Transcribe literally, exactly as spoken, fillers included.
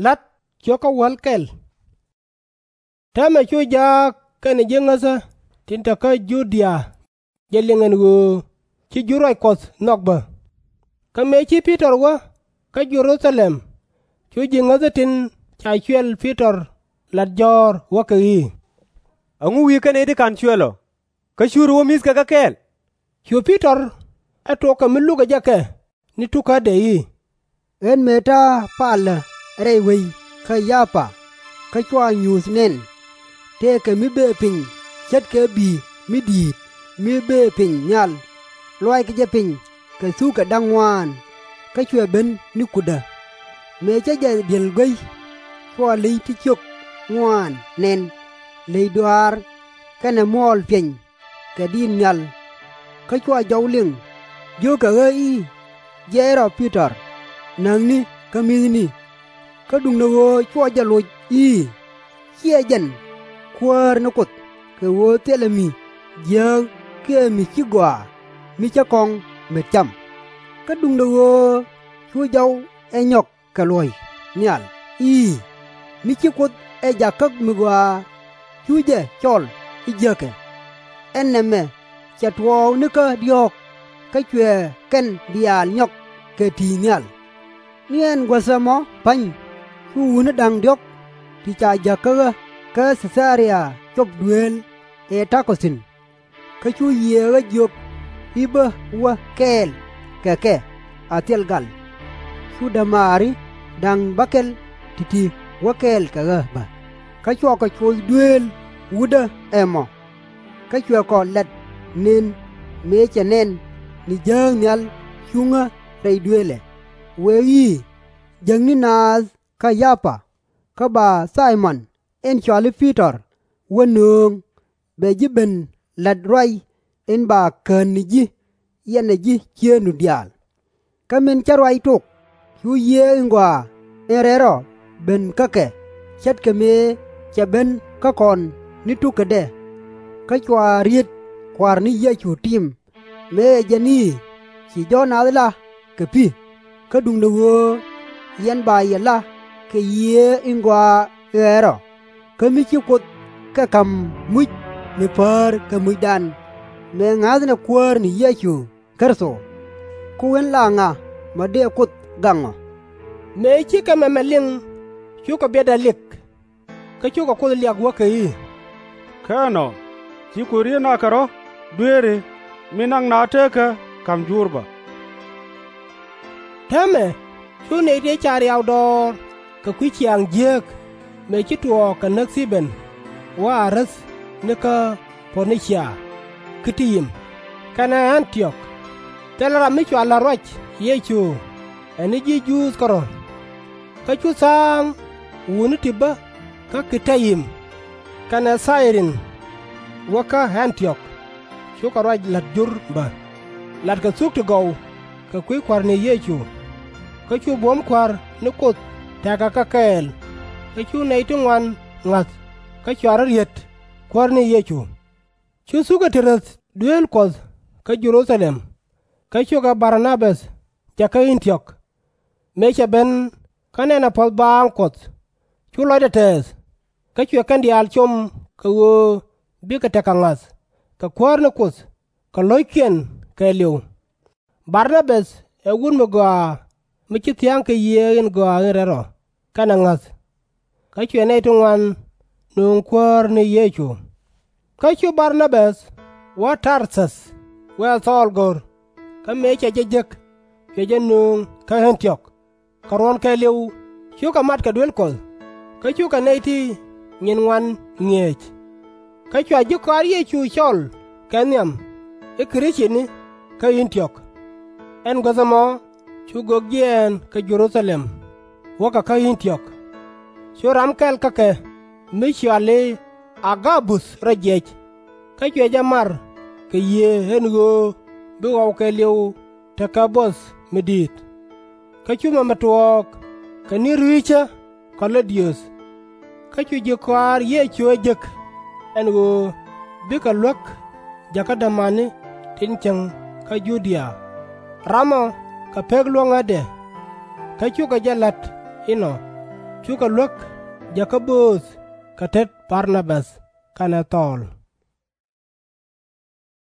La̱t ciökä wäl kɛl. Täämɛ cu jaak kɛnɛ ji̱ ŋäthä tin te kä Ju-dia jɛ liŋ ɛn ɣöö ci jur ruac Kuɔth nhɔk bä. Kä mëë ci Pi-tɔr wä kä Jɛ-ru-tha-lɛm, cu ji̱ ŋäthä tin ca cuɛl Pi-tɔr lat jɔ̱ɔ̱r, wäkɛ i̱, Ɛŋu wi̱i̱ kɛn nɛy ti /ka̱n cuɛl ɔ, kä /curi wä mi̱thkɛ kɛ kɛɛl? Cu Pi-tɔr ɛ tuɔk kɛ mi lukɛ jɛ kɛ ni tukädɛ i̱, Ɣän mëë ta̱a̱ palä rɛy wec kä Yapa, kä cua nyuuth nɛn, tëëkɛ mi bëë piny ce̱tkɛ bi̱i̱ mi di̱i̱t mi bëë piny nhial, luaaykɛ jɛ piny kɛ thukɛ da̱ŋ ŋuaan, kä cuɛ ben ni kutdä. Mëë cä jɛ di̱el guey, cua ley ti ciök ŋuaan nɛn, ley dɔaar kɛnɛ muɔɔl piɛny kɛ diit nhial. Kä cua jɔw liŋ, jio̱kɛ ɣä i̱, Jiɛc rɔ, Pi-tɔr, näkni kä mi̱thni. Kä duundɛ ɣöö cua jɛ loc i̱, Ciɛ jɛn, Kuäär ni Kuoth, kɛ ɣöö thilɛ mi jiääk kiɛ mi ci gɔaa mi cä kɔŋ met cam. Kä duundɛ ɣöö cu jɔw ɛ nyɔk kɛ luɔ̱c nhial i̱, Mi ci Kuoth ɛ jak kä mi gɔaa, cu jɛ cɔl i̱ jiäkɛ. Ɛn nɛmɛ cɛ tuɔɔk nikä diɔ̱ɔ̱k, kä cuɛ kɛn diaal nyɔk kɛ ti̱i̱ nhial. Ni ɛn guäth ɛmɔ pa̱ny, cu wutni da̱ŋ diɔ̱k ti ca jäk kä ɣä kä Thɛ-tha-ria cop dueel ëë ta̱kɔ thi̱n. Kä cu Yiëë ɣä jiök i̱ bä wä kɛɛl kɛ kɛ a thil gal. Cu dämaari da̱ŋ bäkɛl ti̱ti̱ wä kɛɛl kɛ ɣä bä. Kä cuakɔ coth dueel wutdä ɛmɔ. Kä cuɛ kɔ lat nën mëë cɛ nɛn ni jääk nhial cuŋä rɛy duëëlɛ, wëë i̱, Jäkni naath kä Yapa, kä ba Thay-mɔn in cɔali Pi-tɔr wä nööŋ, bɛ ji̱ ben la̱t ruac in ba kän ni ji̱ yɛnɛ ji̱ ciëëŋdu diaal. Kä min cä ruac tok, cu Yiëë in Gɔaa in Rɛl Rɔ ben kä kɛ, ce̱tkɛ mëë cɛ ben kä kɔn ni tukädɛ. Kä cua riet Kua̱r ni Yecu tim, mëë ɛ jɛn i̱, Ci jɔ̱ɔ̱k naath la kɛ pi̱, kä duundɛ ɣöö yɛn ba yɛ la kɛ Yiëë in Gɔaa in Rɛl Rɔ, kä mi ci Kuoth kɛ ka̱m muc mi päär kɛ mucdan, mëë ŋa̱thnɛ Kuäär ni Yecu Kritho. Kä ɣän la ŋa mi dëë Kuoth gaŋ ɔ? Mëë cikɛ mɛmɛ liŋ, cukɛ biɛtdɛ lik, kä cukɛ Kuoth liak, wäkɛ i̱, Kä ɛnɔ, ci Kuoth riet naath kɛ rɔ̱ dueeri, mi naŋ naath teekä ka̱m jur bä. Täämɛ cu nɛy ti ca riaw dɔɔr kɛ kui̱ ciaaŋ jiääk, mëë ci tuɔɔk kɛ näk Thi-bɛn wä a räth ni kä Pɔ-ni-cia, Ki-ti-yim, kɛnɛ Ɛ̈n-ti-ɔk, thilɛ ram mi cua la̱t ruac Yecu ɛ ni ji̱ Juudh kärɔ̱. Kä cu tha̱a̱ŋ wutni ti bä kä Ki-ti-yim kɛnɛ Thay-rin wä kä Ɛ̈n-ti-ɔk, cukɛ ruac la̱t jur bä, latkɛ thuk ti gɔw kɛ kui̱ Kua̱r ni Yecu. Kä cu buɔ̱m Kua̱r ni Kuoth tɛ̈kɛ kɛ kɛɛl, kä cu nɛy ti ŋuan ŋa̱th kä cua rɔ̱ riet Kuäär ni Yecu. Cu thukɛ ti räth dueel Kuɔth kä Jɛ-ru-tha-lɛm, kä cukɛ Bar-na-bäth jäk kä Ɛ̈n-ti-ɔk. Mëë cɛ ben kä nɛnɛ puɔ̱th baaŋ Kuɔth, cu lɔcdɛ tɛɛth, kä cuɛ kɛn diaal com kɛ ɣöö bikɛ tekɛ ŋa̱th kɛ Kuäär ni Kuoth kɛ lo̱ckiɛn kɛɛliw. Bar-na-bäth ɛ wut mi gɔaa mi ci thia̱a̱ŋ kɛ Yiëë in Gɔaa in Rɛl Rɔ kɛnɛ ŋa̱th. Kä cuɛ nɛy ti ŋuan nööŋ Kuäär ni Yecu. Kä cu Bar-na-bäth wä Tar-thäth wä ɛ Thɔɔl go̱r, kä mëë cɛ jɛ jek, cuɛ jɛ nööŋ kä Ɛ̈n-ti-ɔk. Kɛ ruɔ̱n kɛɛliw cukɛ mat kɛ duel Kuɔth, kä cukɛ nɛy ti nyin ŋuan ŋi̱eec. Kä cua ji̱ kɔaar Yecu cɔl kɛ nhiam i̱ Krithiani kä Ɛ̈n-ti-ɔk. Ɛn guäth ɛmɔ cu gök jiɛɛn kɛ Jɛ-ru-tha-lɛm wäkɛ kä Ɛ̈n-ti-ɔk. Cu ram kɛl kä kɛ mi cɔal i̱ A-ga-buth rɔ jiɛc, kä cuɛ jɛ mar kɛ Yiëë ɛn ɣöö bi ɣɔw kɛɛliw tekɛ buɔth mi di̱i̱t. Kä cu mɛmɛ tuɔɔk kɛ ni ri̱i̱cä Kɔ-lö-diöth. Kä cu ji̱ kɔaar Yecu ɛ jek ɛn ɣöö bikɛ luäk jäkä dämani tin cieŋ kä Ju-dia, ramɔ kɛ pek luäŋädɛ. Kä cukɛ jɛ la̱t inɔ. cukɛ luäk Jɛ-ka-böth kɛ tet Bar-na-bäth kɛnɛ Thɔɔl.